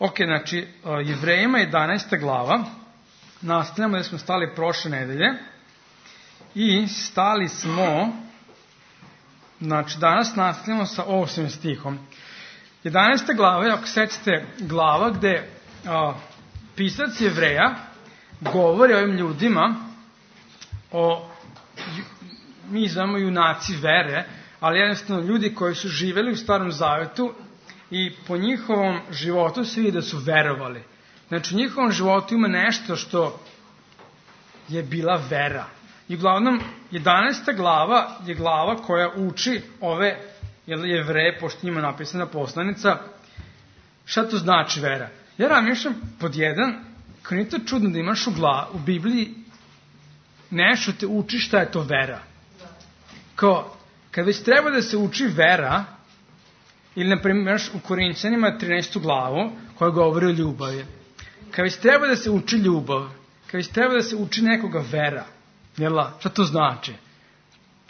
Ok, znači, Jevrejima 11. glava, nastavljamo da smo stali prošle nedelje i stali smo, znači danas nastavljamo sa 8. stihom. 11. glava je, ako sećate, glava gde pisac Jevreja govori o ovim ljudima, mi znamo junaci vere, ali jednostavno ljudi koji su živeli u Starom Zavetu i po njihovom životu se vidi da su verovali. Znači, u njihovom životu ima nešto što je bila vera. I uglavnom, 11. glava je glava koja uči ove Jevreje, pošto njima napisana poslanica, šta to znači vera. Ja razmišljam pod jedan, kao nije to čudno da imaš u Bibliji nešto te uči šta je to vera. Kao, kad već treba da se uči vera, ili, na primjer, u Korinćanima 13. glavu, koja govori o ljubavi. Kad već treba da se uči ljubav, kad već treba da se uči nekoga vera, jela, šta to znači?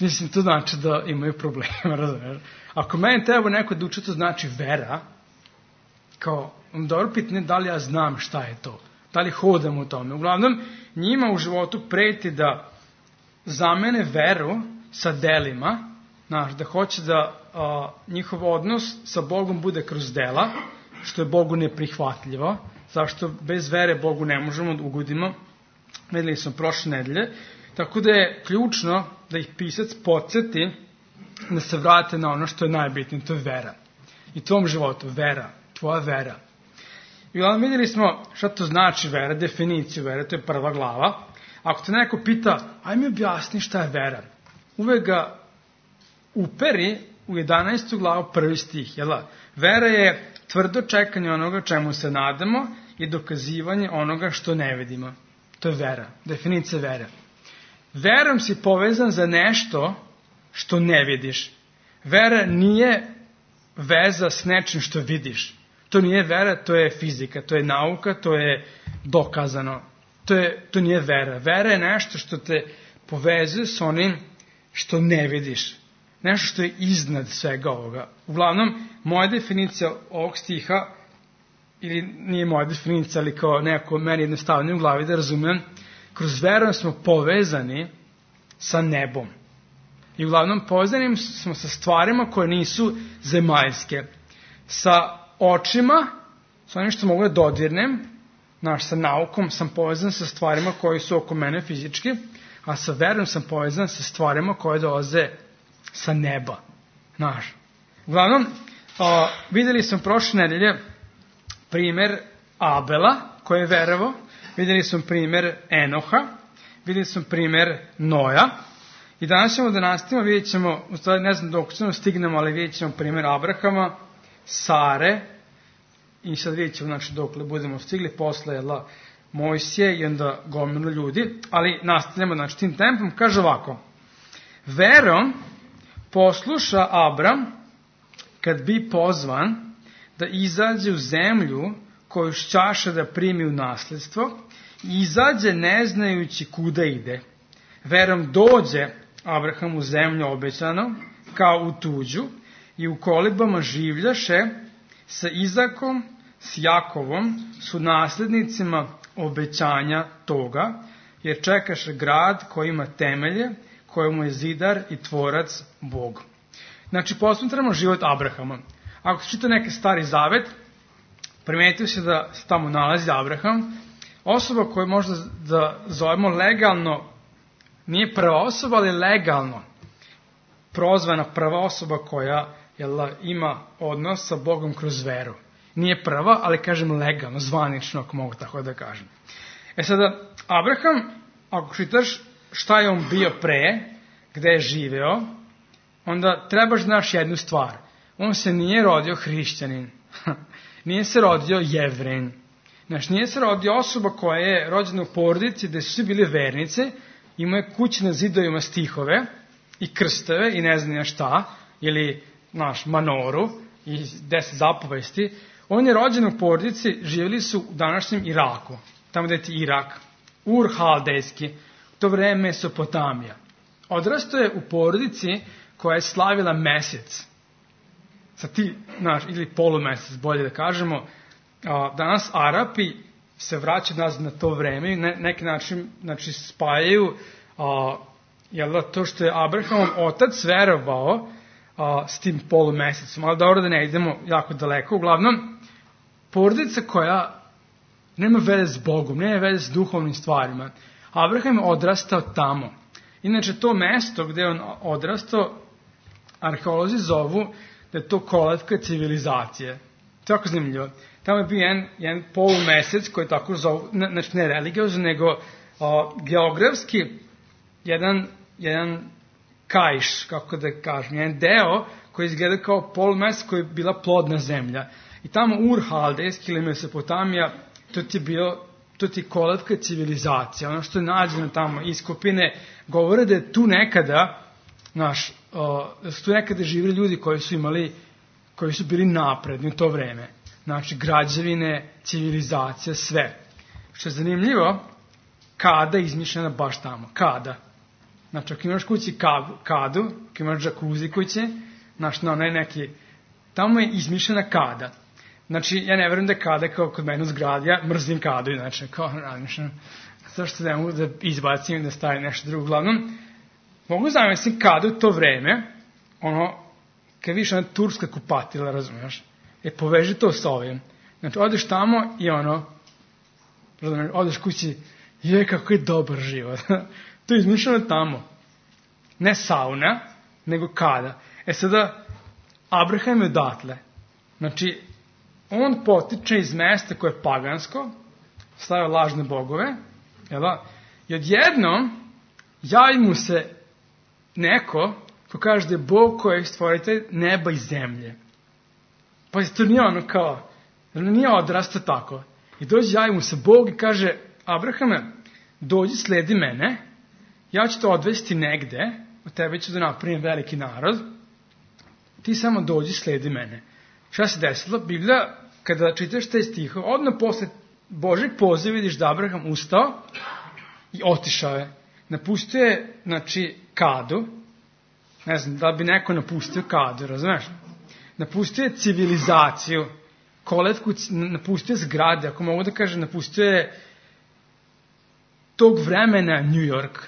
Mislim, to znači da imaju problema, razumiješ? Ako meni treba neko da uči, to znači vera, kao, dobro pitanje da li ja znam šta je to, da li hodam u tome. Uglavnom, njima u životu preti da zamene veru sa delima, znaš, da hoće da njihov odnos sa Bogom bude kroz dela, što je Bogu neprihvatljivo, zašto bez vere Bogu ne možemo da ugodimo, videli smo prošle nedelje, tako da je ključno da ih pisac podsjeti da se vrate na ono što je najbitnije, to je vera. I tvom životu, vera, tvoja vera. I uglavnom vidjeli smo šta to znači vera, definiciju vere, to je 1. glava. Ako te neko pita, aj mi objasni šta je vera, uvek ga uperi u 11. glavu 1. stih. Jela? Vera je tvrdo čekanje onoga čemu se nadamo i dokazivanje onoga što ne vidimo. To je vera, definicija vere. Verom si povezan za nešto što ne vidiš. Vera nije veza s nečim što vidiš. To nije vera, to je fizika, to je nauka, to je dokazano. To nije vera. Vera je nešto što te povezuje s onim što ne vidiš. Nešto što je iznad svega ovoga. Uglavnom, moja definicija ovog stiha, ili nije moja definicija, ali kao nekako meni jednostavno u glavi da razumem, kroz veru smo povezani sa nebom. I uglavnom povezani smo sa stvarima koje nisu zemaljske. Sa očima, sa onim što mogu da dodirnem, sa naukom sam povezan sa stvarima koje su oko mene fizički, a sa verom sam povezan sa stvarima koje dolaze sa neba. Uglavnom, videli smo prošle nedelje primer Abela, koji je verovao, videli smo primer Enoha, videli smo primer Noja, i danas ćemo da nastavimo, vidjet ćemo, u stvari ne znam dok ćemo stignemo, ali vidjet ćemo primer Abrahama, Sare, i sad vidjet ćemo, znači, dokle budemo stigli, posle Mojsije i onda gomilu ljudi, ali nastavljamo, znači, tim tempom, kaže ovako, verom posluša Abram kad bi pozvan da izađe u zemlju koju šćaša da primi u nasledstvo i izađe ne znajući kuda ide. Verom dođe Abraham u zemlju obećano kao u tuđu i u kolibama življaše sa Izakom, s Jakovom, su naslednicima obećanja toga, jer čekaše grad koji ima temelje, kojemu je zidar i tvorac Bog. Znači, posmatramo život Abrahama. Ako se čita neki Stari Zavet, primetio se da se tamo nalazi Abraham, osoba koju možda da zovemo legalno, nije prva osoba, ali legalno prozvana prva osoba koja ima odnos sa Bogom kroz veru. Nije prva, ali kažem legalno, zvanično, ako mogu tako da kažem. Sada, Abraham, ako čitaš šta je on bio pre, gde je živeo, onda trebaš znaš jednu stvar. On se nije rodio hrišćanin. Nije se rodio Jevrin. Znači, nije se rodio osoba koja je rođena u porodici gde su svi bili vernice, imao je kući na zidovima stihove i krstove i ne znam ja šta, ili manoru i 10 zapovesti. On je rođen u porodici, živjeli su u današnjem Iraku, tamo gde je Irak, Ur Haldejski, u to vreme Mesopotamija. Odrastao je u porodici koja je slavila mesec, ili polumesec, bolje da kažemo, danas Arapi se vraćaju nazad na to vreme i neki način spajaju to što je Abrahamov otac verovao s tim polumesecom. Ali dobro da ne idemo jako daleko. Uglavnom, porodica koja nema veze s Bogom, nema veze s duhovnim stvarima. Abraham je odrastao tamo. Inače, to mesto gde je on odrastao, arheolozi zovu da je to kolevka civilizacije. To je jako zanimljivo. Tamo je bio jedan polumesec koji tako zovu, znači ne religiozno, nego geografski jedan kaiš, kako da kažem, jedan deo koji izgleda kao polumesec koji je bila plodna zemlja. I tamo Ur-Haldejski ili Mesopotamija, to ti je kolevka civilizacija. Ono što je nađeno tamo, iskopine, govore da je tu nekada, da su tu nekada živjeli ljudi koji su bili napredni u to vreme. Znači, građevine, civilizacija, sve. Što je zanimljivo, kada je izmišljena baš tamo. Kada. Znači, ako imaš kući kadu, ako imaš džakuzi kuće, znači, na onaj neki, tamo je izmišljena kada. Znači, ja ne verujem da je kada kao kod mene u zgradi, ja mrzim kadu, znači, kao razmišljam, zašto ne mogu da izbacim da stavim nešto drugo. Uglavnom, mogu zamisliti kada u to vreme, kad vidiš ona turska kupatila, razumiješ, poveži to s ovim. Znači, odeš tamo i odeš kući, kako je dobar život. To je izmišljeno tamo. Ne sauna, nego kada. Sada, Abraham je odatle. Znači, on potiče iz mesta koje je pagansko, stavio lažne bogove, i odjednom javi mu se neko ko kaže da je Bog koji je stvoritelj neba i zemlje. Pa to nije nije odrastao tako. I javi mu se Bog i kaže, Abrahame, dođi, sledi mene, ja ću te odvesti negde, od tebe ću da napravim veliki narod, ti samo dođi, sledi mene. Šta se desilo? Biblija, kada čitaš taj stih, odmah posle Božeg poziva vidiš da Abraham ustao i otišao je. Napustio je, kadu, ne znam, da bi neko napustio kadu, razumeš? Napustio je civilizaciju, kolevku, napustio je zgrade, ako mogu da kažem, napustio je tog vremena New York.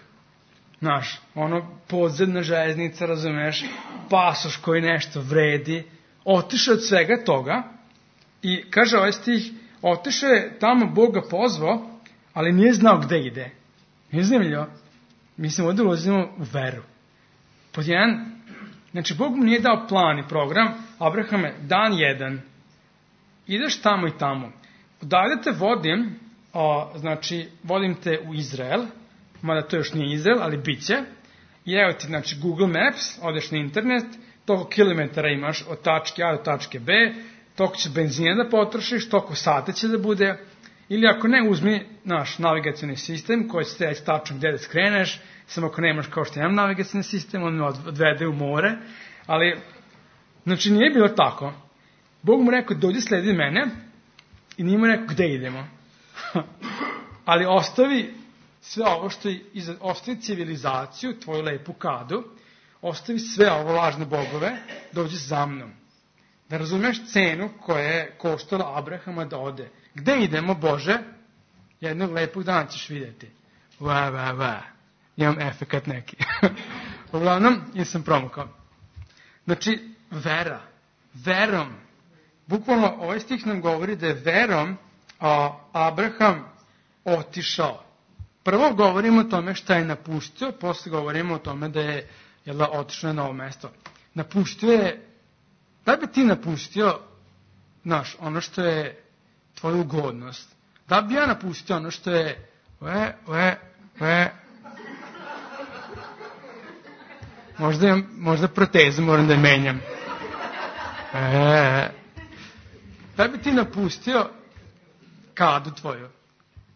Podzemna železnica, razumeš, pasoš koji nešto vredi, otišao od svega toga i kaže ovaj stih, otišao je tamo, Bog ga pozvao, ali nije znao gde ide. Nije zanimljivo. Mislim, ovdje ulazimo u veru. Pod jedan, znači, Bog mu nije dao plan i program, Abrahame, dan 1, ideš tamo i tamo. Odavde te vodim, vodim te u Izrael, mada to još nije Izrael, ali bit će. I evo ti, Google Maps, odeš na internet, toliko kilometara imaš od tačke A do tačke B, toliko će benzina da potrošiš, toliko sata će da bude, ili ako ne, uzmi naš navigacioni sistem koji će te reći tačno gde da skreneš, samo ako nemaš kao što imam navigacioni sistem, on me odvede u more, ali, nije bilo tako. Bog mu rekao, dođi, sledi mene, i nije mu rekao gde idemo. Ali ostavi sve ovo što je, ostavi civilizaciju, tvoju lepu kadu, ostavi sve ovo lažne bogove, dođi za mnom. Da razumeš cenu koja je koštala Abrahama da ode. Gde idemo, Bože? Jednog lepog dana ćeš vidjeti. Imam efekat neki. Uglavnom, sam promukao. Znači, vera. Verom. Bukvalno, ovaj stih nam govori da je verom Abraham otišao. Prvo govorimo o tome šta je napustio, posle govorimo o tome da je otišao na novo mesto. Napustio je, da bi ti napustio, ono što je tvoja ugodnost? Da bi ja napustio ono što je možda protezu moram da je menjam. Da bi ti napustio kadu tvoju?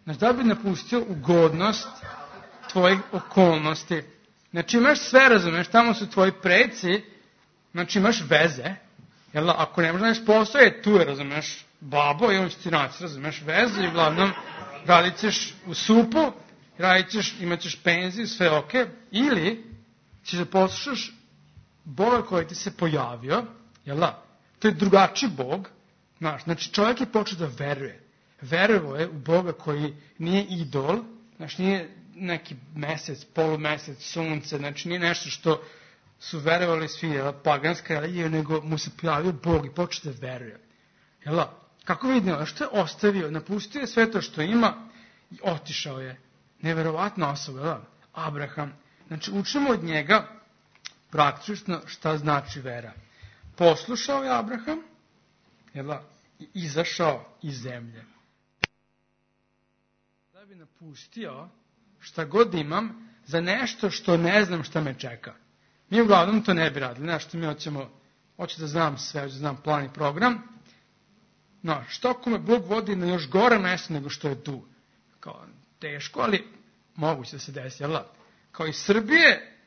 Znači, da bi napustio ugodnost tvojih okolnosti? Znači, imaš sve, razumeš, tamo su tvoji preci, znači imaš veze, ako ne možda neš posao, tu je, razumeš, babo i on će ti naći, razumeš, vezu i uglavnom radit ćeš u supu, imat ćeš penziju, sve okej, ili ćeš da poslušaš Boga koji ti se pojavio, to je drugačiji Bog, Znači, čovjek je počeo da veruje. Verovao je u Boga koji nije idol, znači nije neki mesec, polumesec, sunce, znači nije nešto što su verovali svi paganska religija, nego mu se pojavio Bog i počeo da veruje. Kako vidimo, što je ostavio? Napustio je sve to što ima i otišao je. Neverovatna osoba, Abraham. Znači, učimo od njega praktično šta znači vera. Poslušao je Abraham, i izašao iz zemlje. Da bi napustio šta god imam za nešto što ne znam šta me čeka. Mi uglavnom to ne bi radili. Nešto mi hoću da znam sve, hoću da znam plan i program. No, što ako me Bog vodi na još gore mesto nego što je tu? Kao, teško, ali moguće da se desi, Kao iz Srbije,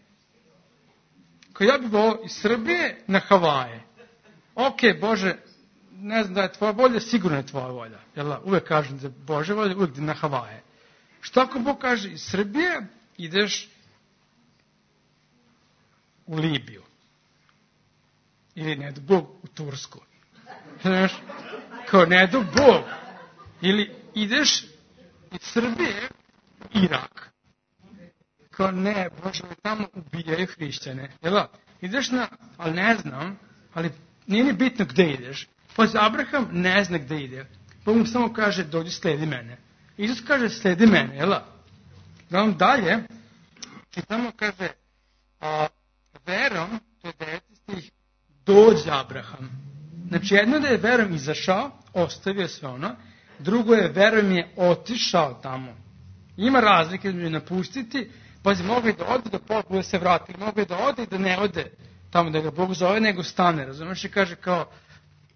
kao ja bih volao iz Srbije na Havaje. Ok, Bože, ne znam da je tvoja volja, sigurno je tvoja volja. Uvek kažem da je Bože volja, uvek na Havaje. Što ako Bog kaže iz Srbije ideš u Libiju? Ili ne do Bog u Tursku? Znaš, kao ne do Bog. Ili ideš iz Srbije u Irak. Kao ne, Bože, tamo ubijaju hrišćane. Ideš ali ne znam, ali nije ni bitno gde ideš. Abraham ne zna gde ide. Bog mu samo kaže, dođi, sledi mene. Isus kaže, sledi mene, Da on dalje, i tamo kaže, verom, to je 9. stih, dođe Abraham. Znači, jedno da je verom izašao, ostavio sve ono, drugo je verom je otišao tamo. Ima razlike da napustiti, mogu i da ode, da pokude se vrati, mogu i da ode i da ne ode tamo da ga Bog zove, nego stane, razumiješ, i kaže kao,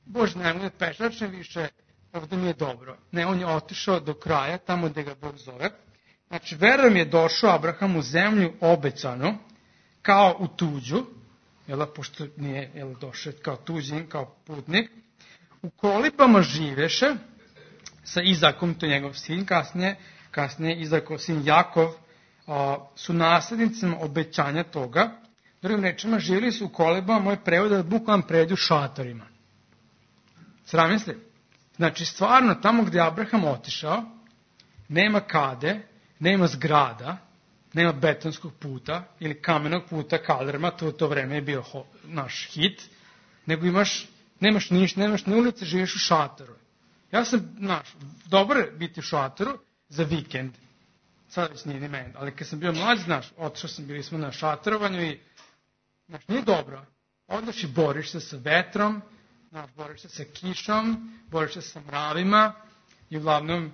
Bože, nemoj da pešačem više, ovdje mi je dobro. Ne, on je otišao do kraja, tamo gde ga Bog zove. Znači, verom je došao Abraham u zemlju obećanu, kao u tuđu, pošto nije došao kao tuđin, kao putnik. U kolibama živeše sa Izakom, to je njegov sin, kasnije Izakov sin Jakov, su naslednicima obećanja toga. Drugim rečima, živjeli su u kolibama, moj prevod da bukvalno pređu šatorima. Sramisli? Znači, stvarno, tamo gdje je Abraham otišao, nema kade, nema zgrada, nema betonskog puta ili kamenog puta, kalerma, to vreme je bio naš hit, nego nemaš ništa, nemaš ni ulice, živiš u šatoru. Ja sam, dobro je biti u šatoru za vikend, sad već nije ni meni, ali kad sam bio mlađ, otišao sam, bili smo na šatorovanju i, nije dobro. Odeš i boriš se sa vetrom, boriš se sa kišom, boriš se sa mravima i uglavnom,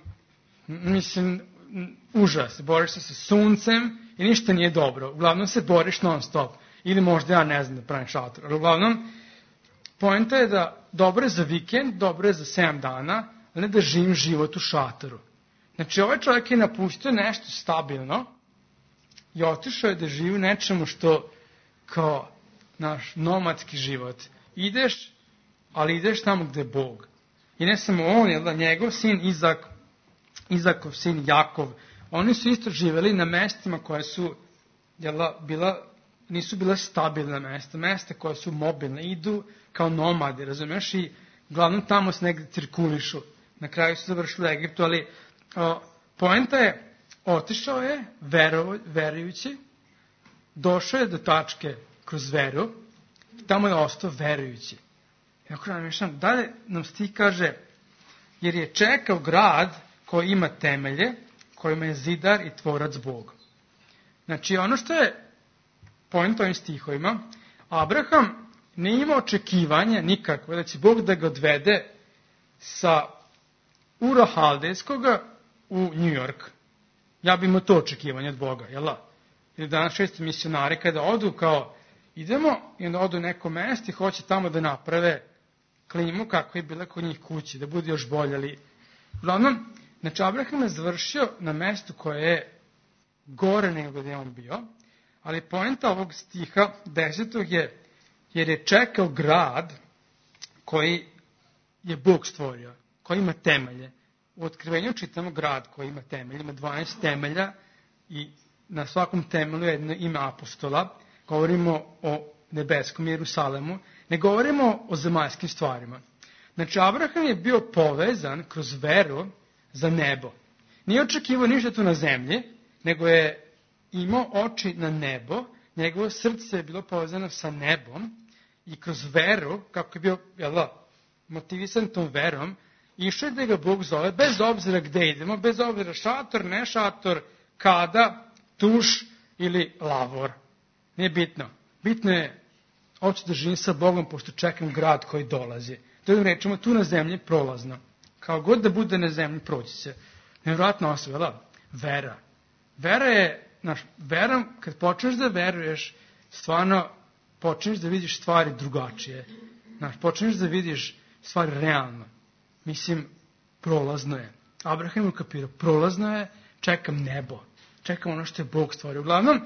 užas, boriš se sa suncem i ništa nije dobro. Uglavnom se boriš non stop. Ili možda ja ne znam da pravim šator. Ali uglavnom, poenta je da dobro je za vikend, dobro je za 7 dana, ali ne da živim život u šatoru. Znači, ovaj čovjek je napustio nešto stabilno i otišao je da živi u nečemu što kao naš nomadski život. Ideš, ali ideš tamo gde je Bog. I ne samo on, njegov sin Izakov sin Jakov, oni su isto živjeli na mestima koje su nisu bila stabilna mesta koja su mobilne, idu kao nomadi, razumiješ, i uglavnom tamo se negdje cirkulišu. Na kraju su završili u Egiptu, ali poenta je, otišao je verujući, došao je do tačke kroz veru, tamo je ostao verujući. I ako namišljam, dalje nam stih kaže, jer je čekao grad koji ima temelje, kojima je zidar i tvorac Bog. Znači, ono što je point ovim stihovima, Abraham nije imao očekivanja nikakve da će Bog da ga odvede sa Ura Haldejskoga u New York. Ja bi imao to očekivanje od Boga, jel da? Ili danas često misionari kada odu kao idemo i onda odu u neko mesto i hoće tamo da naprave klimu kako je bila kod njih kući, da bude još bolje. Ali uglavnom, znači Abraham je završio na mestu koje je gore nego gdje je on bio, ali poenta ovog stiha 10. je jer je čekao grad koji je Bog stvorio, koji ima temelje. U Otkrivenju čitamo grad koji ima temelje, ima 12 temelja i na svakom temelju je jedno ime apostola. Govorimo o nebeskom Jerusalemu, ne govorimo o zemaljskim stvarima. Znači, Abraham je bio povezan kroz veru za nebo. Nije očekivao ništa tu na zemlji, nego je imao oči na nebo, njegovo srce je bilo povezano sa nebom i kroz veru, kako je bio motivisan tom verom, išao je da ga Bog zove, bez obzira gde idemo, bez obzira šator, ne šator, kada, tuš ili lavor. Nije bitno. Bitno je, hoću da živim sa Bogom, pošto čekam grad koji dolazi. To rečemo, tu na zemlji prolazno. Kao god da bude na zemlji, proći se. Nevjerojatna osoba, vera. Vera je, verom, kad počneš da veruješ, stvarno počneš da vidiš stvari drugačije. Počneš da vidiš stvari realno. Mislim, prolazno je. Abraham je ukapirao, prolazno je, čekam nebo. Čekam ono što je Bog stvorio. Uglavnom,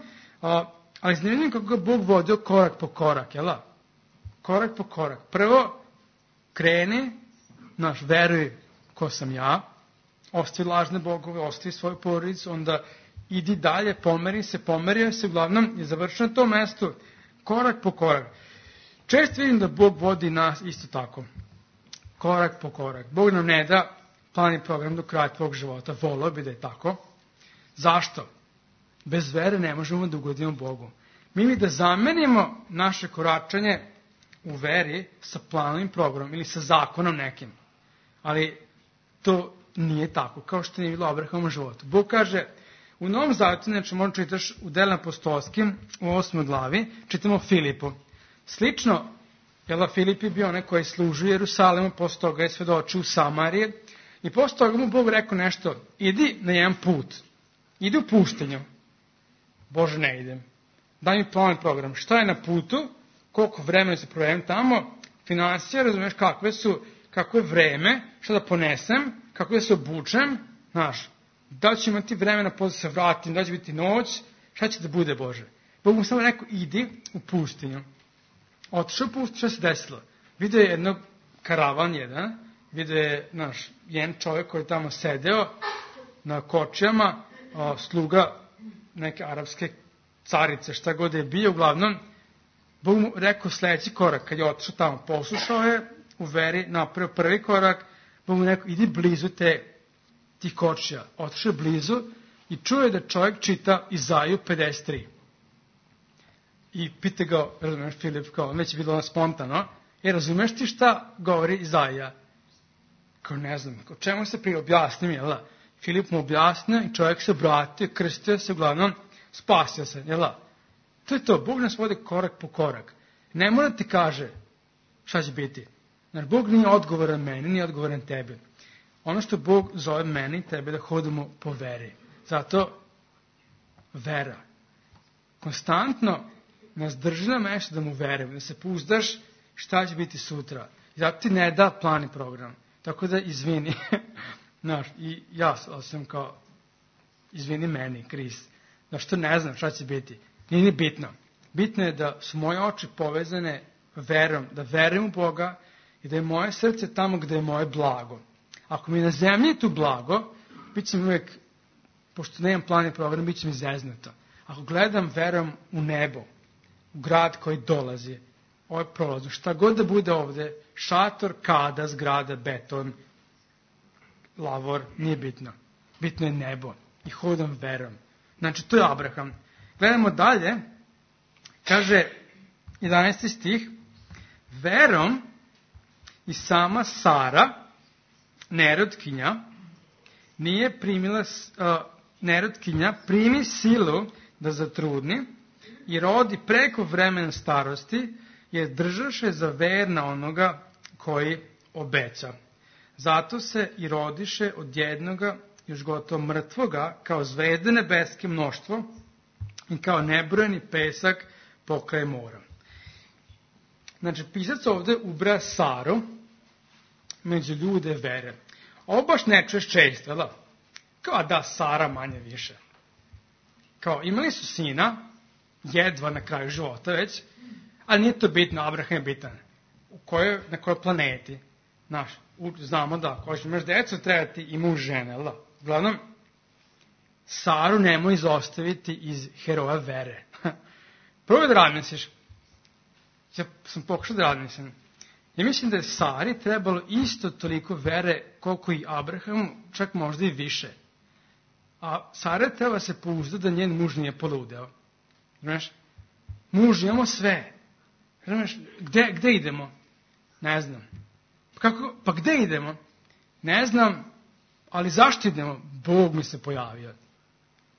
ali zanimljivo kako ga Bog vodio korak po korak, jel? Korak po korak. Prvo, kreni, veruj ko sam ja, ostavi lažne bogove, ostavi svoju porodicu, onda idi dalje, pomerio se, uglavnom je završeno na tom mestu, korak po korak. Često vidim da Bog vodi nas isto tako, korak po korak. Bog nam ne da plan i program do kraja tvog života, volio bi da je tako. Zašto? Bez vere ne možemo da ugodimo Bogu. Mi da zamenimo naše koračanje u veri sa planom i programom ili sa zakonom nekim. Ali to nije tako, kao što nije bilo Abrahamovom životu. Bog kaže, u Novom Zavjetu, znači možda čitaš u Delima apostolskim, u 8. glavi, čitamo Filipu. Slično, Filip je bio onaj koji služi u Jerusalemu, posle toga je svedočio u Samariji i posle toga mu Bog rekao nešto, idi na jedan put, idi u pustinju. Bože, ne idem. Daj mi plan i program. Šta je na putu, koliko vremena se provedem tamo, financije, razumiješ kako je vreme, šta da ponesem, kako da se obučem, da ću imati vremena posle se vratim, da će biti noć, šta će da bude, Bože? Bog mu samo rekao, idi u pustinju. Otišao u pustinju, šta se desilo? Vidio je jednog karavan jedan, vidio je jedan čovjek koji je tamo sedeo na kočijama, sluga neke arapske carice, šta god je bio, uglavnom, Bog mu rekao sljedeći korak, kad je otišao tamo, poslušao je, u veri napravio prvi korak, Bog mu rekao, idi blizu tih kočija. Otišao je blizu i čuo je da čovjek čita Izaiju 53. I pita ga, razumeš, Filip, kao, već je bilo spontano, razumeš ti šta govori Izaija? Kao, ne znam, o čemu se prije objasni mi, jel? Filip mu objasnio i čovjek se obratio, krstio se, uglavnom, spasio se, jel? To je to, Bog nas vodi korak po korak. Ne mora ti kaže šta će biti. Jer Bog nije odgovoran meni, nije odgovoran tebi. Ono što Bog zove meni i tebe da hodimo po veri. Zato vera. Konstantno nas drži na mestu da mu verujemo, da se pouzdaš šta će biti sutra. I zato ti ne da plan i program. Tako da izvini. I ja sam kao, izvini meni, Kris. Što ne znam šta će biti. Nije ni bitno. Bitno je da su moje oči povezane verom, da verujem u Boga i da je moje srce tamo gde je moje blago. Ako mi na zemlji tu blago, bit će mi uvijek, pošto nemam plan i program, bit će mi zeznuto. Ako gledam verom u nebo, u grad koji dolazi, ovo je prolazno, šta god da bude ovde, šator, kada, zgrada, beton, lavor, nije bitno. Bitno je nebo i hodam verom. Znači, to je Abraham. Gledamo dalje, kaže 11. stih, verom i sama Sara, nerotkinja, nerotkinja primi silu da zatrudni i rodi preko vremena starosti, jer držaše za verna onoga koji obeća. Zato se i rodiše od jednoga još gotovo mrtvoga, kao zvezde nebeske mnoštvo i kao nebrojeni pesak pokraj mora. Znači, pisac ovde ubraja Saru među ljude vere. Ovo baš ne čuješ često, da? Kao da Sara manje više. Kao, imali su sina, jedva na kraju života već, ali nije to bitno, Abraham je bitan. Na kojoj planeti? Znamo da, ako imaš decu, treba ti i muž žene, da? Uglavnom, Saru nemoj izostaviti iz heroja vere. Prvo da razmisliš. Ja sam pokušao da razmislim. Ja mislim da je Sari trebalo isto toliko vere koliko i Abrahamu, čak možda i više. A Sara treba se pouzdati da njen muž nije poludeo. Znaš, muž, imamo sve. Znaš, gde idemo? Ne znam. Pa gde idemo? Ne znam, ali zašto idemo? Bog mi se pojavio.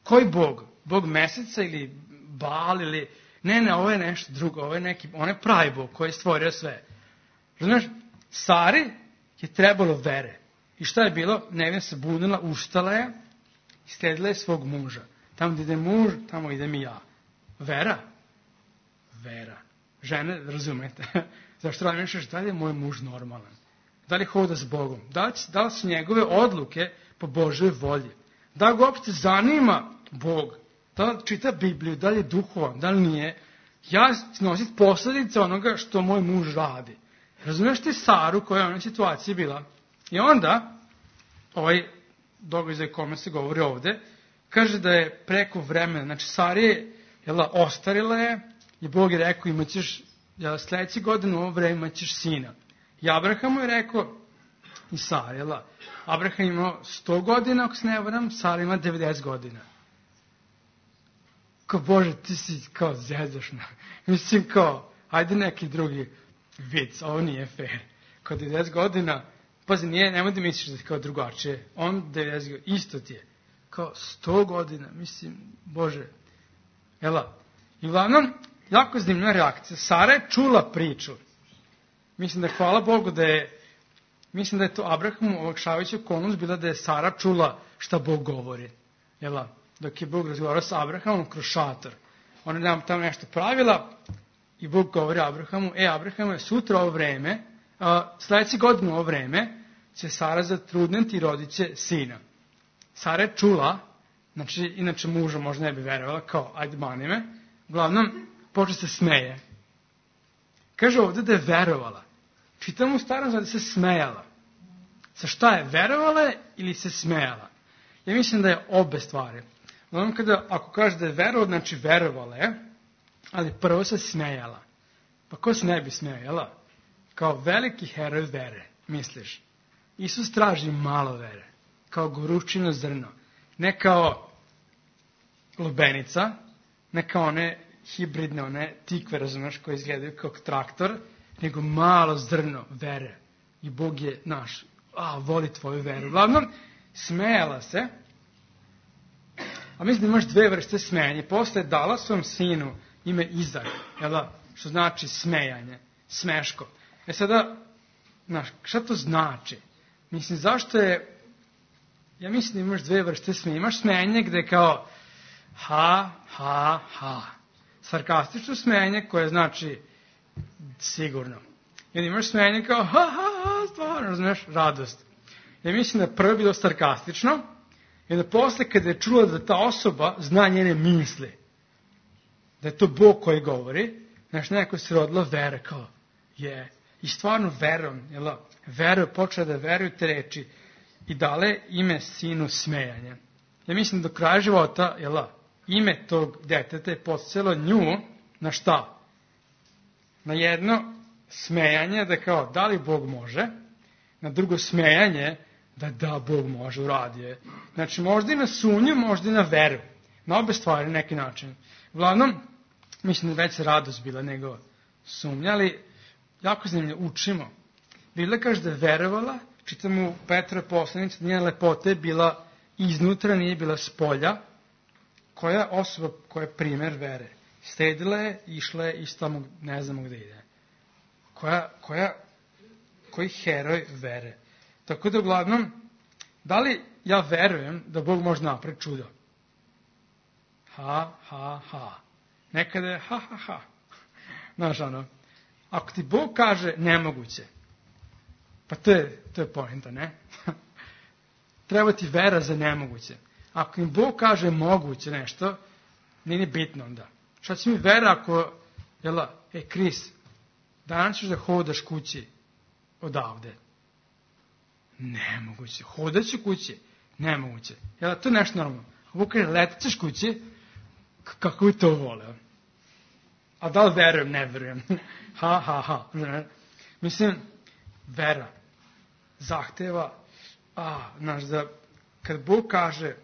Koji Bog? Bog meseca ili Baal ili... Ne, ovo je nešto drugo, on je pravi Bog koji je stvorio sve. Znaš, Sari je trebalo vere. I šta je bilo? Nevina se bunila, ustala je i sledila je svog muža. Tamo gdje ide muž, tamo idem i ja. Vera. Žene, razumete? Zašto razmišljaš da li je moj muž normalan? Da li hoda s Bogom? Da li su njegove odluke po Božoj volji? Da li ga uopšte zanima Bog? Da li čita Bibliju? Da li je duhovan? Da li nije? Ja nosit posljedice onoga što moj muž radi. Razumiješ ti Saru koja je u onoj situaciji bila? I onda, ovaj događaj kome se govori ovde, kaže da je preko vremena, znači Sara je, ostarila je i Bog je rekao imaćeš, sljedeće godine u ovo vreme imaćeš sina. I Abrahamu je rekao, i Sara, Abraham imao 100 godina, ako se ne varam, Sara ima 90 godina. Kao, Bože, ti si kao zezašna. Mislim kao, ajde neki drugi vic, ovo nije fair. Kao 90 godina, pazi, nemoj da misliš da je kao drugačije. On 90 godina, isto ti je. Kao 100 godina, mislim, Bože. I uglavnom, jako zanimljiva reakcija. Sara je čula priču. Mislim da je, hvala Bogu, mislim da je to Abrahamu olakšavajuća okolnost bila da je Sara čula šta Bog govori. Dok je Bog razgovarao sa Abrahamom kroz šator. Ona nam tamo nešto pravila i Bog govori Abrahamu, Abrahame, sutra ovo vreme, sljedeće godine ovo vreme, će Sara zatrudniti i rodit će sina. Sara je čula, znači, inače muža možda ne bi verovala, kao, ajde mani me, uglavnom, počne se smeje. Kaže ovdje da je verovala. Čitamo u Starom Zavjetu da se smejala. Sa šta je, verovala ili se smejala? Ja mislim da je obe stvari. Uglavnom, ako kaže da je verovala, znači verovala je, ali prvo se smejala. Pa ko se ne bi smejala? Kao veliki heroj vere, misliš. Isus traži malo vere, kao goručino zrno. Ne kao lubenica, ne kao one hibridne, one tikve, razumeš, koje izgledaju kao traktor, nego malo zrno vere. I Bog je naš. Voli tvoju veru. Uglavnom, smejala se, a mislim da imaš dve vrste smejanja. Posle je dala svom sinu ime Izak, što znači smejanje, smeško. Sada, šta to znači? Mislim, zašto je, ja mislim da imaš dve vrste smejanja. Imaš smejanje gde je kao ha. Sarkastično smejanje koje znači sigurno. I onda imaš smejanje kao ha, stvarno, razumiješ, radost. Ja mislim da je prvo bilo sarkastično i da posle kada je čula da ta osoba zna njene misli, da je to Bog koji govori, neko se rodila vera kao je. I stvarno verom, počela da veruju te reči i dale ime sinu smejanje. Ja mislim da do kraja života, ime tog deteta je podsjelo nju na šta? Na jedno smejanje da kao da li Bog može, na drugo smejanje da Bog može, uradi je. Znači možda i na sumnju, možda i na veru. Na obe stvari na neki način. Uglavnom, mislim da već radost bila nego sumnja, ali jako zanimljivo, učimo. Biblia kaže da je verovala, čitamo u Petrove poslanici, da njena lepota je bila iznutra, nije bila spolja. Koja je osoba koja je primjer vere? Stedila je, išla je i tamo ne znamo gde ide. Koji heroj vere? Tako da uglavnom, da li ja verujem da Bog može napraviti čudo? Ha. Nekada je ha. Znaš, ako ti Bog kaže nemoguće, pa to je poenta, ne? Treba ti vera za nemoguće. Ako im Bog kaže moguće nešto, nije bitno onda. Šta će mi vera ako, Kris, danas ćeš da hodaš kući odavde? Nemoguće. Hodat ću kući? Nemoguće. To je nešto normalno. Ako Bog kaže letat ćeš kući, kako bi to voleo? A da li verujem? Ne verujem. Ha. Mislim, vera zahteva, da kad Bog kaže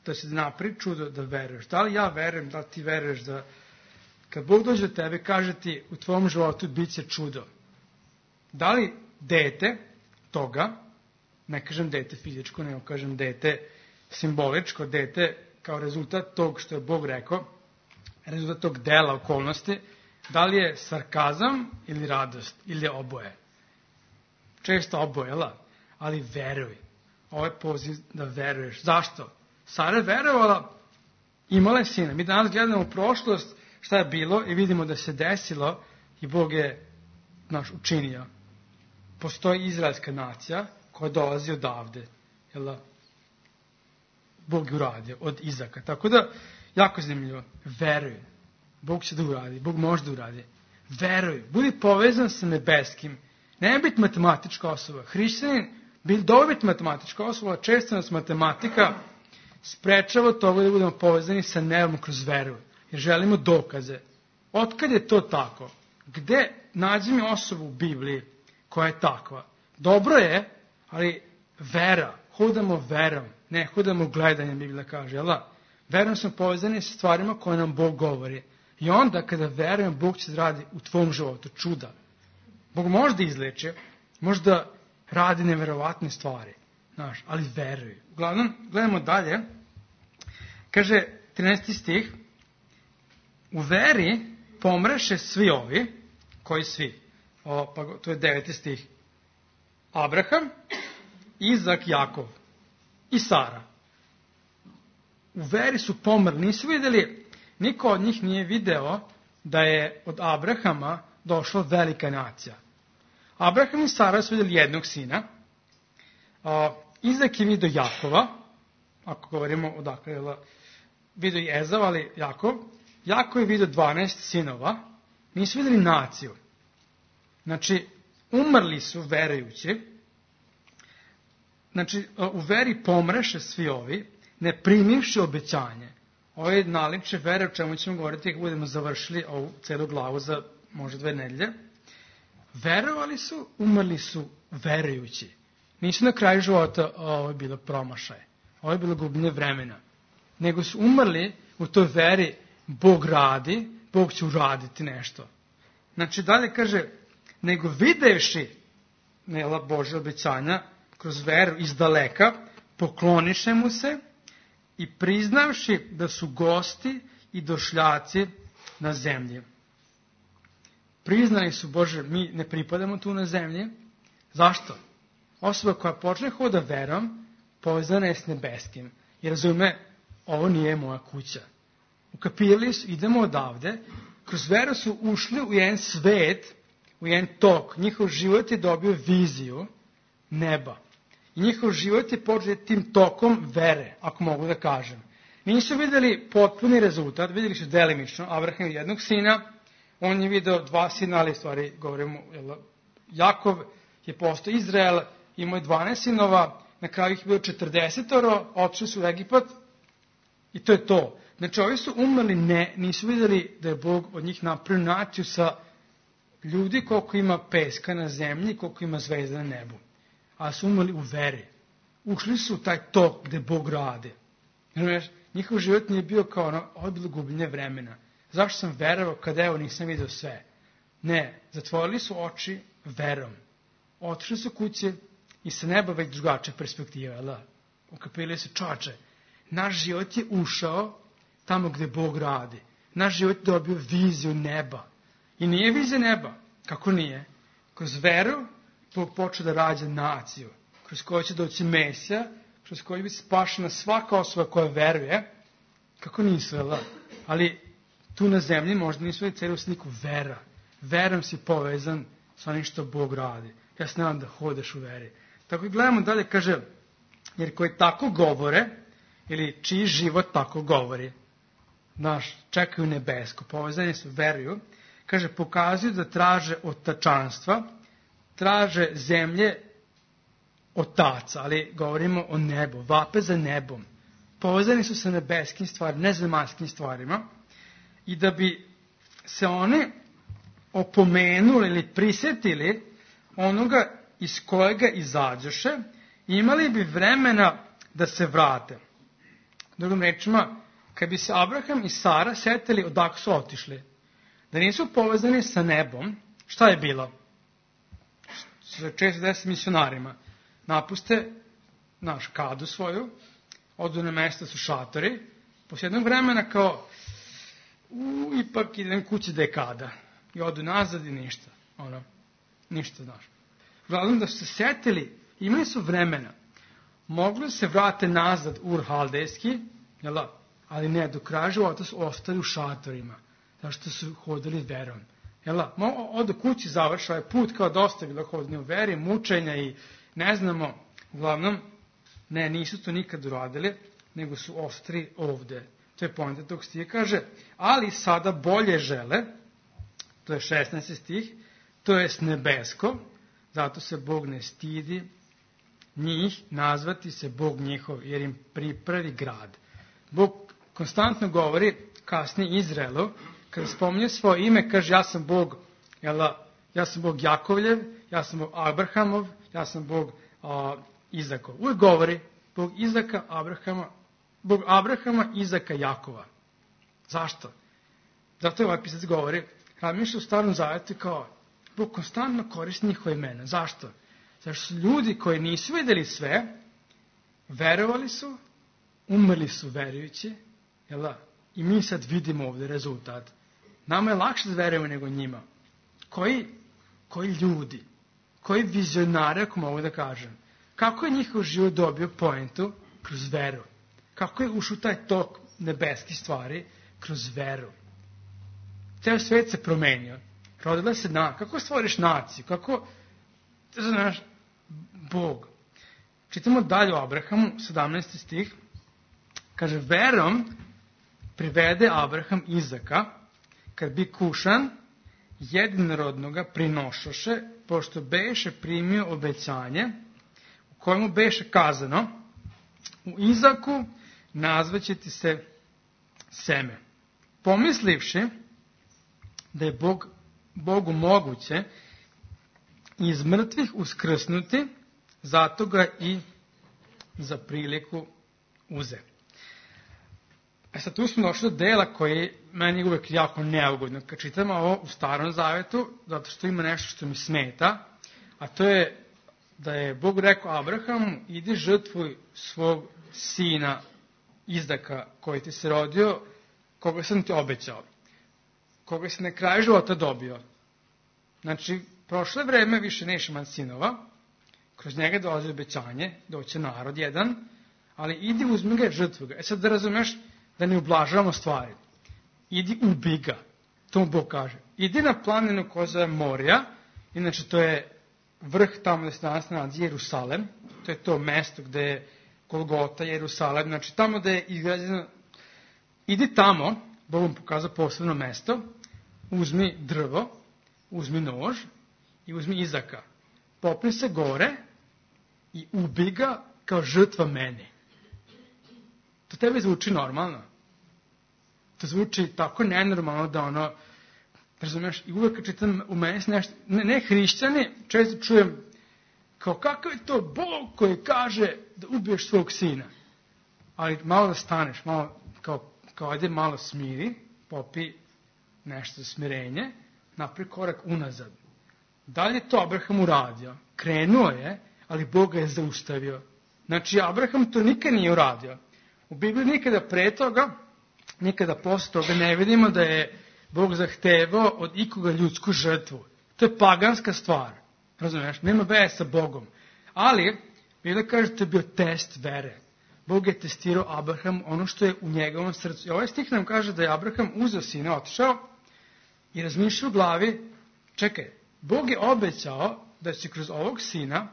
da se napravi čudo, da veruješ. Da li ja verujem, da li ti veruješ da kad Bog dođe do tebe, kaže ti u tvom životu bit će čudo. Da li dete toga, ne kažem dete fizičko, nego kažem dete simboličko, dete kao rezultat tog što je Bog rekao, rezultat tog dela, okolnosti, da li je sarkazam ili radost, ili je oboje. Često oboje, ali veruj. Ovo je poziv da veruješ. Zašto? Sara je verovala, imala je sina. Mi danas gledamo u prošlost šta je bilo i vidimo da se desilo i Bog je učinio. Postoji izraelska nacija koja dolazi odavde. Bog je uradio od Izaka. Tako da, jako zanimljivo. Veruj. Bog će da uradi. Bog može da uradi. Veruj. Budi povezan sa nebeskim. Ne biti matematička osoba. Hrišćanin dobro biti matematička osoba, često nas matematika sprečava toga da budemo povezani sa nebom kroz veru. Jer želimo dokaze. Otkad je to tako? Gde nađi mi osobu u Bibliji koja je takva? Dobro je, ali vera. Hodamo verom. Ne hodamo gledanjem, Biblija kaže. Verom smo povezani sa stvarima koje nam Bog govori. I onda kada verujem, Bog će radi u tvom životu čuda. Bog može da izleče, može da radi neverovatne stvari. Ali veruj. Uglavnom, gledamo dalje. Kaže 13. stih. U veri pomreše svi ovi, koji svi? To je 9. stih. Abraham, Izak, Jakov i Sara. U veri su pomrli. Nisu vidjeli, niko od njih nije video da je od Abrahama došla velika nacija. Abraham i Sara su vidjeli jednog sina. Izak je vidio Jakova, ako govorimo odakle, vidio i Ezav, ali Jakov. Jakov je vidio 12 sinova, nisu vidjeli naciju. Znači, umrli su verujući. Znači, u veri pomreše svi ovi, ne primivši obećanje. Ovo je naličje vere, o čemu ćemo govoriti kako budemo završili ovu celu glavu za možda 2 nedelje. Verovali su, umrli su verujući. Nisu na kraju života ovo je bilo promašaj. Ovo je bilo gubljenje vremena. Nego su umrli u toj veri, Bog radi, Bog će uraditi nešto. Znači dalje kaže, nego videvši Božje obećanja kroz veru iz daleka, pokloniše mu se i priznavši da su gosti i došljaci na zemlji. Priznali su, Bože, mi ne pripadamo tu na zemlji. Zašto? Osoba koja počne hoda verom, povezana je s nebeskim. I razume, ovo nije moja kuća. Ukapirali su, idemo odavde, kroz veru su ušli u jedan svet, u jedan tok. Njihov život je dobio viziju neba. I njihov život je počeo tim tokom vere, ako mogu da kažem. Nisu vidjeli potpuni rezultat, vidjeli su delimično. Abraham jednog sina, on je vidio 2 sina, ali stvari govorimo, Jakov je postao Izrael, imao je 12 sinova, na kraju ih je bilo 40, otišli su u Egipat i to je to. Znači, ovi su umrli, nisu vidjeli da je Bog od njih napravio naciju sa ljudi koliko ima peska na zemlji, koliko ima zvezda na nebu. A su umrli u veri. Ušli su u taj tok gde Bog radi. Njihov život nije bio kao ovo je bilo gubljenje vremena. Zašto sam verovao kada evo nisam vidio sve? Ne, zatvorili su oči verom. Otišli su kuće i sa neba već drugačija perspektiva. Ukapili su, čoče, naš život je ušao tamo gde Bog radi. Naš život je dobio viziju neba. I nije vizija neba. Kako nije? Kroz veru Bog počeo da rađa naciju. Kroz koju će doći Mesija, kroz koju bi spašena svaka osoba koja veruje. Kako nisu, ali tu na zemlji možda nisu vidjeli celu sliku vera. Verom si povezan sa onim što Bog radi. Ja se nadam da hodeš u veri. Tako i gledamo dalje, kaže, jer koji tako govore, ili čiji život tako govori, čekaju nebesko, povezani su, veruju, kaže, pokazuju da traže otačanstva, traže zemlje otaca, ali govorimo o nebu, vape za nebom. Povezani su sa nebeskim stvarima, nezemaljskim stvarima, i da bi se oni opomenuli ili prisjetili onoga iz kojega izađoše, imali bi vremena da se vrate. Drugim rečima, kad bi se Abraham i Sara setili odakle su otišli, da nisu povezani sa nebom, šta je bilo? Često desi misionarima. Napuste kadu svoju, odu na mesta su šatori, posle jednog vremena kao, ipak idem kući da je kada. I odu nazad i ništa. Ništa, znaš. Uglavnom da su se setili, imali su vremena. Mogli se vrate nazad u Haldejski, ali ne, do kraja života su ostali u šatorima. Zašto su hodili verom. Odu kući, završa ovaj put, kao dosta bilo hodini u veri, mučenja i ne znamo. Uglavnom, ne, nisu to nikad uradili, nego su ostri ovde. To je poenta tog stiha, kaže, ali sada bolje žele, to je 16. stih, to je nebesko, zato se Bog ne stidi njih nazvati se Bog njihov, jer im pripravi grad. Bog konstantno govori kasnije Izraelu, kada spominje svoje ime, kaže ja sam Bog, ja sam Bog Jakovljev, ja sam Bog Abrahamov, ja sam Bog Izakov. Uvijek govori Bog Bog Abrahama, Izaka, Jakova. Zašto? Zato je ovaj pisac govori, razmišlja u Starom Zavetu kao Bog konstantno koristi njihova imena. Zašto? Zato su ljudi koji nisu vidjeli sve, verovali su, umrli su verujući, i mi sad vidimo ovdje rezultat. Nama je lakše da verujemo nego njima. Koji ljudi, koji vizionari, ako mogu da kažem, kako je njihov život dobio poentu? Kroz veru. Kako je ušao taj tok nebeskih stvari? Kroz veru. Ceo svet se promenio. Rodila se kako stvoriš naciju? Kako, znaš, Bog. Čitamo dalje o Abrahamu, 17. stih. Kaže, verom privede Abraham Izaka, kad bi kušan, jedinorodnoga prinošoše, pošto beše primio obećanje, u kojemu beše kazano, u Izaku nazvaće ti se seme. Pomislivši da je Bogu moguće iz mrtvih uskrsnuti, zato ga i za priliku uze. Sad tu smo došli do dela koji meni je uvek jako neugodno. Kad čitamo ovo u Starom Zavetu, zato što ima nešto što mi smeta, a to je da je Bog rekao Abrahamu, idi žrtvuj svog sina Izaka koji ti se rodio, koga sam ti obećao, koga si na kraju života dobio. Znači, prošle vreme više neće imati sinova, kroz njega dolazi obećanje, doće narod jedan, ali idi uzmi ga, žrtvuj ga. Sad da razumeš, da ne ublažavamo stvari. Idi ubi ga. To mu Bog kaže. Idi na planinu koja zove Morija, inače to je vrh tamo gde se danas nalazi Jerusalem, to je to mesto gde je Golgota, Jerusalem, znači tamo gde je izgrađeno. Idi tamo, Bog vam pokazao posebno mesto, uzmi drvo, uzmi nož i uzmi Izaka. Popni se gore i ubi ga kao žrtva meni. To tebi zvuči normalno. To zvuči tako nenormalno da razumiješ, i uvek čitam u meni nešto, ne hrišćani, često čujem kao kakav je to Bog koji kaže da ubiješ svog sina. Ali malo da staneš, malo, kao ajde malo smiri, popi nešto za smirenje, napravi korak unazad. Da li je to Abraham uradio? Krenuo je, ali Bog ga je zaustavio. Znači, Abraham to nikad nije uradio. U Bibliji nikada pre toga, nikada posle toga ne vidimo da je Bog zahtevao od ikoga ljudsku žrtvu. To je paganska stvar. Razumiješ? Nema veze sa Bogom. Ali, Biblija kaže da to je bio test vere. Bog je testirao Abraham ono što je u njegovom srcu. I ovaj stih nam kaže da je Abraham uzeo sina, otišao i razmišljao u glavi, čekaj, Bog je obećao da će kroz ovog sina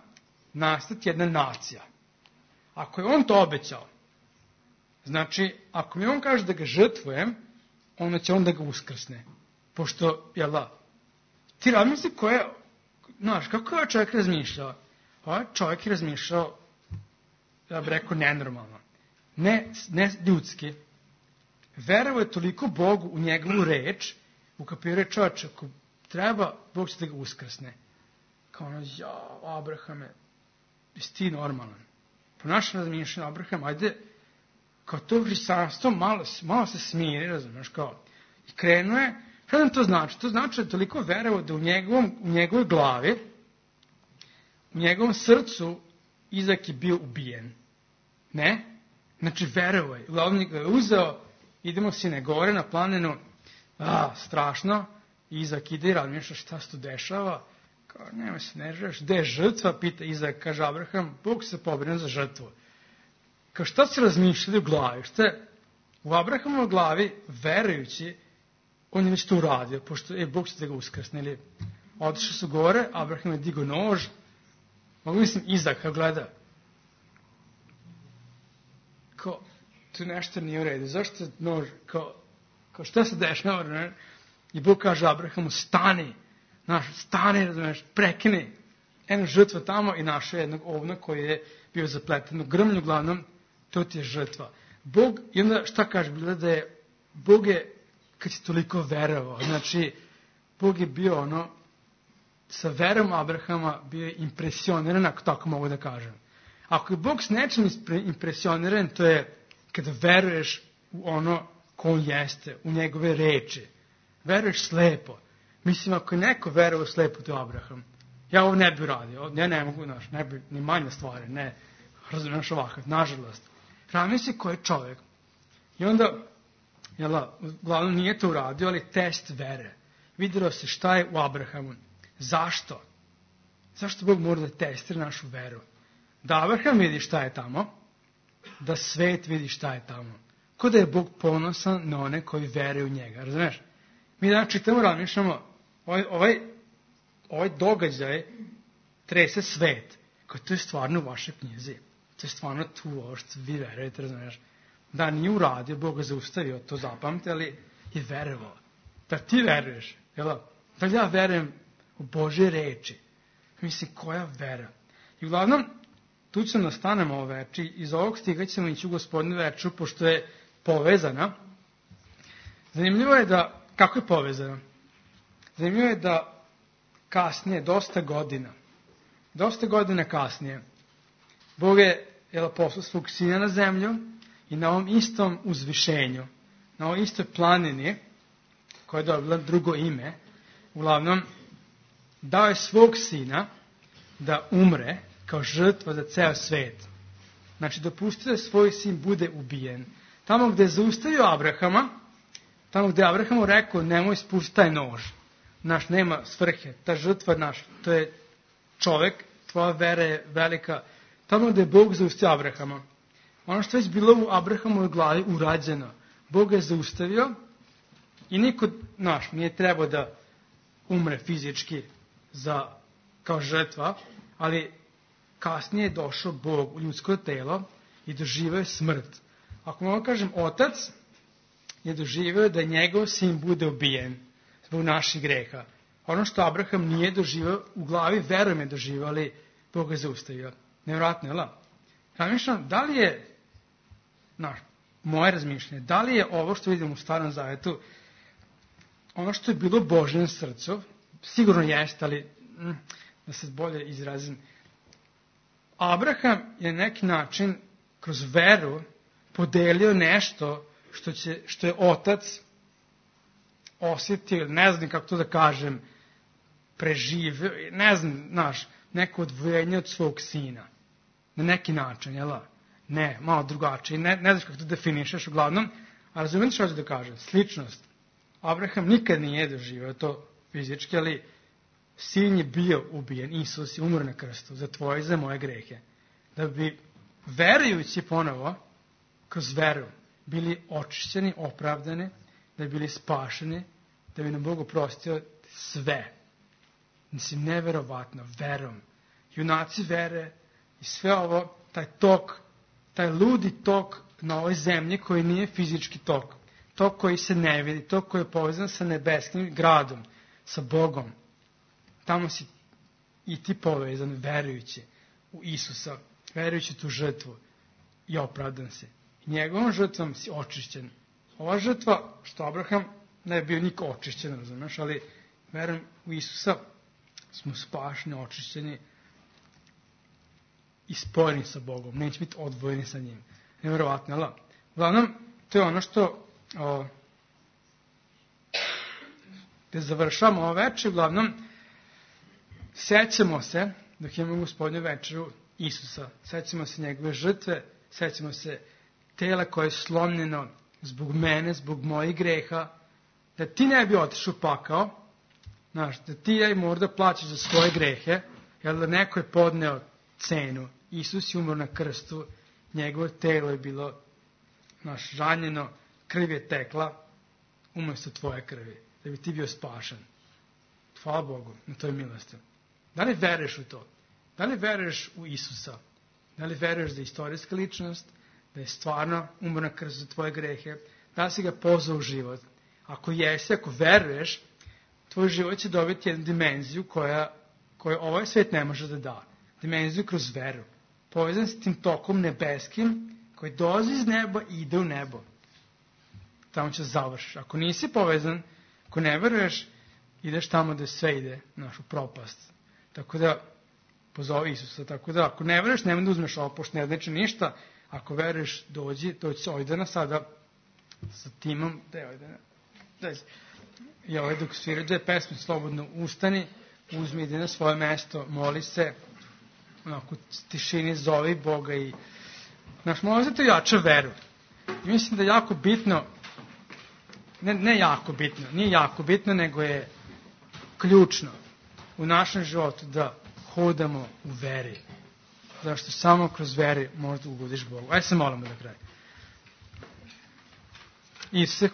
nastati jedna nacija. Ako je on to obećao, znači, ako mi on kaže da ga žrtvujem, onda će on da ga uskrsne. Pošto, ti razmisli kako je čovjek razmišljao? Ovaj čovjek je razmišljao, ja bih rekao, nenormalno. Ne ljudski. Verovao je toliko Bogu u njegovu reč, ukapirao je čovječ, ako treba, Bog će da ga uskrsne. Kao ono, Abrahame, jesi ti normalan? Po našem razmišljanju, Abraham, ajde, kao to hrišćanstvo, malo se smiri, razumiješ, kao, i krenuo je, šta nam to znači? To znači da je toliko verovao da u njegovoj glavi, u njegovom srcu, Izak je bio ubijen. Ne? Znači, verovao je. Uglavnom ga je uzeo, idemo sine gore na planinu, strašno, Izak ide i razmišlja šta se tu dešava, kao, nema se, ne želiš, gde je žrtva, pita Izak, kaže Abraham, Bog se pobrinuo za žrtvu. Kao, šta se razmišljali u glavi? Šta je u Abrahamovoj glavi, verujući, on je već to uradio, pošto Bog će da ga uskrsne. Ili otišli su gore, Abraham je digao nož, mogu mislim Izak, kao gleda, kao, tu nešto nije u redu, zašto nož, kao šta se dešava, ne? I Bog kaže Abrahamu, stani, razumiješ, prekini jednu žrtvu tamo i našao jednog ovna koji je bio zapleten u grmlju, uglavnom, to ti je žrtva. Bog, i onda šta kaže, bilo da je, Bog je, kad si toliko verovao, znači, Bog je bio ono, sa verom Abrahama bio je impresioniran, ako tako mogu da kažem. Ako je Bog s nečim impresioniran, to je kada veruješ u ono ko on jeste, u njegove reči. Veruješ slepo. Mislim, ako je neko verovao slepo, to je Abraham. Ja ovo ne bi uradio, ja ne mogu, ne bi, ni manje stvari, ne, razumiješ ovakav, nažalost. Razmisli ko je čovjek. I onda, uglavnom nije to uradio, ali test vere. Vidjelo se šta je u Abrahamu. Zašto? Zašto Bog mora da testira našu veru? Da Abraham vidi šta je tamo, da svet vidi šta je tamo. Ko da je Bog ponosan na one koji veruju u njega, razumiješ? Mi danas čitamo, razmišljamo, ovaj događaj trese svet, kao to je stvarno u vašoj knjizi. To je stvarno tu ovo što vi verujete, razumiješ? Da nije uradio, Bog ga zaustavio, to zapamte, ali je verovao. Da ti veruješ, jel? Da ja verujem u Božje reči. Mislim, koja vera? I uglavnom, tu ćemo da stanemo ovo veči, iz ovog stiga ćemo ići u Gospodinu veču, pošto je povezana. Zanimljivo je da, kako je povezana? Zanimljivo je da kasnije, dosta godina kasnije, Bog je poslao svog sina na zemlju i na ovom istom uzvišenju, na ovoj istoj planini, koja je dobila drugo ime, uglavnom, dao je svog sina da umre kao žrtva za ceo svet. Znači, dopustio da svoj sin bude ubijen. Tamo gde je zaustavio Abrahama, tamo gde je Abrahamu rekao, nemoj spustiti taj nož. Naš nema svrhe, ta žrtva naš, to je čovek, tvoja vera je velika. Tamo gde je Bog zaustavio Abrahama, ono što je već bilo u Abrahamovoj glavi urađeno, Bog je zaustavio i niko nije trebao da umre fizički kao žrtva, ali kasnije je došao Bog u ljudsko telo i doživio je smrt. Ako mogu kažem, otac je doživio da njegov sin bude ubijen zbog naših greha. Ono što Abraham nije doživio, u glavi verujem je doživio, ali Bog je zaustavio. Nevjerojatno, jel? Razmišljam, da li je, moje razmišljanje, da li je ovo što vidimo u Starom Zavetu, ono što je bilo u Božjem srcu, sigurno jeste, ali da se bolje izrazim, Abraham je na neki način kroz veru podelio nešto što je otac osjetio, ne znam kako to da kažem, preživio, ne znam, neko odvojenje od svog sina. Na neki način, jel? Ne, malo drugačije. Ne znaš kako to definišeš uglavnom, a razumijem što ću da kažem. Sličnost. Abraham nikad nije doživio to fizički, ali sin je bio ubijen. Isus je umro na krstu za tvoje i za moje grehe. Da bi verujući ponovo, kroz veru, bili očišćeni, opravdani, da bi bili spašeni, da bi nam Bog oprostio sve. Mislim, neverovatno, verom. Junaci vere i sve ovo, taj tok, taj ludi tok na ovoj zemlji koji nije fizički tok. Tok koji se ne vidi, tok koji je povezan sa nebeskim gradom, sa Bogom. Tamo si i ti povezan, verujući u Isusa, verujući tu žrtvu i opravdan si. I njegovom žrtvom si očišćen. Ova žrtva, što Abraham ne je bio niko očišćen, razumeš, ali verom u Isusa smo spašeni, očišćeni i spojeni sa Bogom. Neće biti odvojeni sa njim. Nevjerovatno, ali uglavnom, to je ono što gde završamo ovo večer. Uglavnom, sećamo se, dok imamo Gospodnju večeru, Isusa. Sećamo se njegove žrtve, sećamo se tela koje je slomljeno zbog mene, zbog mojih greha, da ti ne bi otišao pakao, znaš, da ti ja i možda plaćaš za svoje grehe, jer da neko je podneo cenu. Isus je umro na krstu, njegovo telo je bilo ranjeno, krv je tekla umjesto tvoje krvi, da bi ti bio spašen. Hvala Bogu na toj milosti. Da li veruješ u to? Da li veruješ u Isusa? Da li veruješ da je istorijska ličnost, da je stvarno umro na krstu za tvoje grehe, da li si ga pozvao u život? Ako jesi, ako veruješ, tvoj život će dobiti jednu dimenziju koju ovaj svijet ne može da da. Dimenziju kroz veru. Povezan s tim tokom nebeskim koji dolazi iz neba i ide u nebo. Tamo će završiš. Ako nisi povezan, ako ne veruješ, ideš tamo da sve ide, našu propast. Tako da, pozovi Isusa. Tako da, ako ne veruješ, nemoj da uzmeš ovo, pošto ne znači ništa. Ako veruješ, dođi se Ojdana sada sa timom. Gde je Ojdana? I ovaj dok sviraju dve pesme, slobodno ustani, uzmi, ide na svoje mesto, moli se, onako tišini zovi Boga i možda to jača veru. I mislim da je jako bitno, ne jako bitno, nije jako bitno, nego je ključno u našem životu da hodamo u veri. Zašto samo kroz veri možda ugodiš Bogu. Ajde se molimo da kraju. Isuse,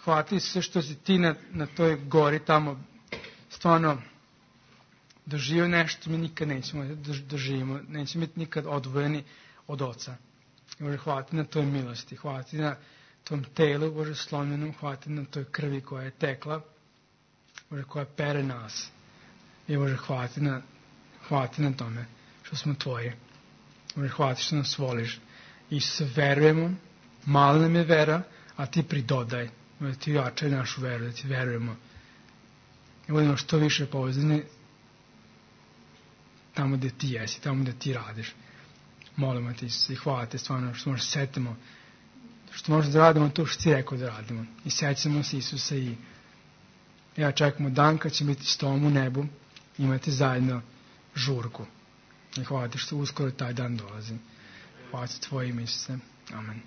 hvati sve što si ti na toj gori tamo stvarno doživio nešto, mi nikad nećemo doživimo, nećemo biti nikad odvojeni od Oca. Bože, hvati na toj milosti, hvati na tom telu, Bože, slomljenom, hvati na toj krvi koja je tekla, Bože, koja pere nas. I Bože, hvati na tome što smo Tvoji. Bože, hvati što nas voliš. Isuse, verujemo, mala nam je vera, a Ti pridodaj. Da Ti jačaj našu veru, da Ti verujemo. I budemo što više povezani tamo gde Ti jesi, tamo gde Ti radiš. Molimo Ti se i hvala Te stvarno što možemo setimo, što možemo da radimo to što Ti rekao da radimo. I sećamo se Isusa i ja čekamo dan kad će biti s Tobom u nebu, imati zajedno žurku. I hvala Ti što uskoro taj dan dolazi. Hvala Ti Tvoje ime, Isuse. Amen.